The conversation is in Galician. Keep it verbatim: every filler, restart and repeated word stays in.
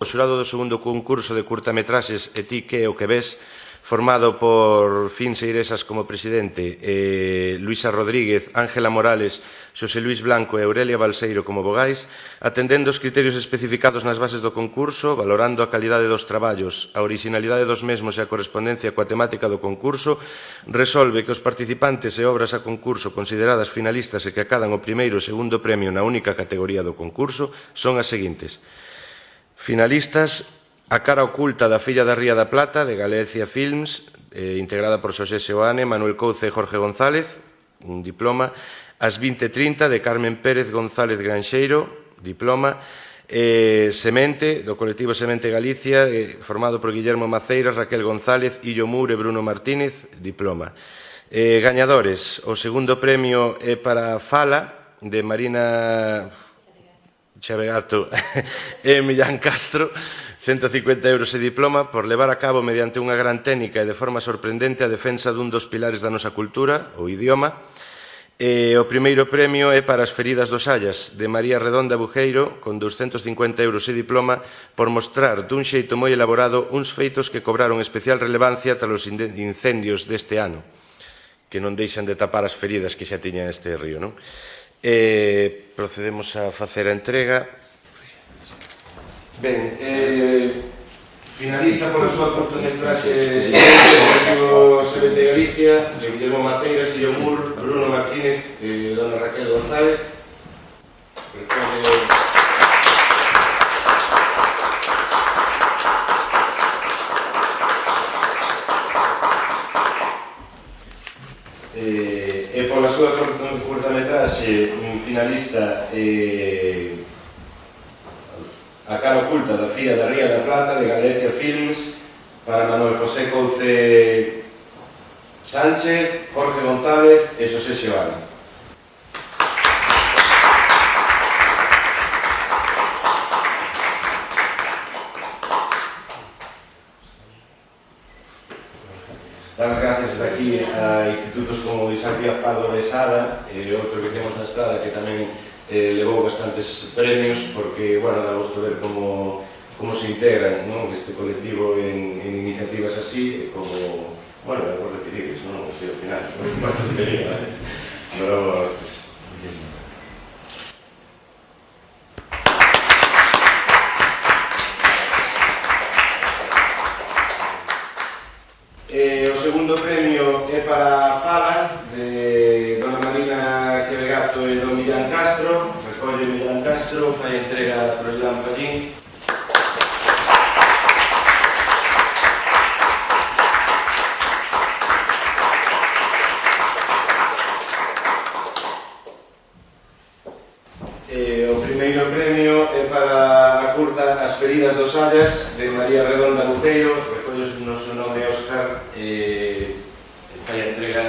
O xurado do segundo concurso de curtametraxes E ti que o que ves, formado por Fin Seiresas como presidente, eh, Luisa Rodríguez, Ángela Morales, Xosé Luís Blanco e Aurelia Balseiro como vogais, atendendo os criterios especificados nas bases do concurso, valorando a calidade dos traballos, a orixinalidade dos mesmos e a correspondencia coa temática do concurso, resolve que os participantes e obras a concurso consideradas finalistas e que acadan o primeiro e segundo premio na única categoría do concurso son as seguintes. Finalistas: A cara oculta da Filla da Ría da Plata, de Galicia Films, eh, integrada por Xosé Seoane, Manuel Couce e Jorge González, un diploma. As vinte trinta, de Carmen Pérez González Granxeiro, diploma. Eh, Semente, do colectivo Semente Galicia, eh, formado por Guillermo Maceiras, Raquel González, Illo Moure e Bruno Martínez, diploma. Eh, gañadores: o segundo premio é para Fala, de Marina Chavegato e Millán Castro, cento e cincuenta euros e diploma por levar a cabo mediante unha gran técnica e de forma sorprendente a defensa dun dos pilares da nosa cultura, o idioma. E o primeiro premio é para As feridas dos Ayas, de María Redonda Bujeiro, con douscentos cincuenta euros e diploma, por mostrar dun xeito moi elaborado uns feitos que cobraron especial relevancia tras os incendios deste ano, que non deixan de tapar as feridas que xa tiña este río, non? Eh, procedemos a facer a entrega. Ben, eh, finaliza pola súa cortometraxe colectivo Semente Galicia, de Guillermo Maceiras, Illo Moure, Bruno Martínez e dona Raquel González. Recolle e pola súa curtametraxe finalista eh, A cara oculta da Filla da Ría da Plata, de Galicia Films, para Manuel José Couce Sánchez, Jorge González e Xosé Seoane. Dar as gracias aquí a institutos como Isaac Díaz Pardo de Sada e outro que temos na estrada que tamén eh, levou bastantes premios porque, bueno, dá gusto ver como, como se integran, non, este colectivo en, en iniciativas así, como, bueno, é por decidides, non? O sea, ao final, non é unha tontería, ¿vale? Pero, pues, Eh, o segundo premio é para Fala, de dona Marina Quevegato e don Millán Castro. Recolle Millán Castro, fai entrega a Froilán Fallín. Eh, o primeiro premio é para a curta As feridas dos Ayas, de María Redonda Bujeiro. Recolle o noso nome Óscar e fai a entrega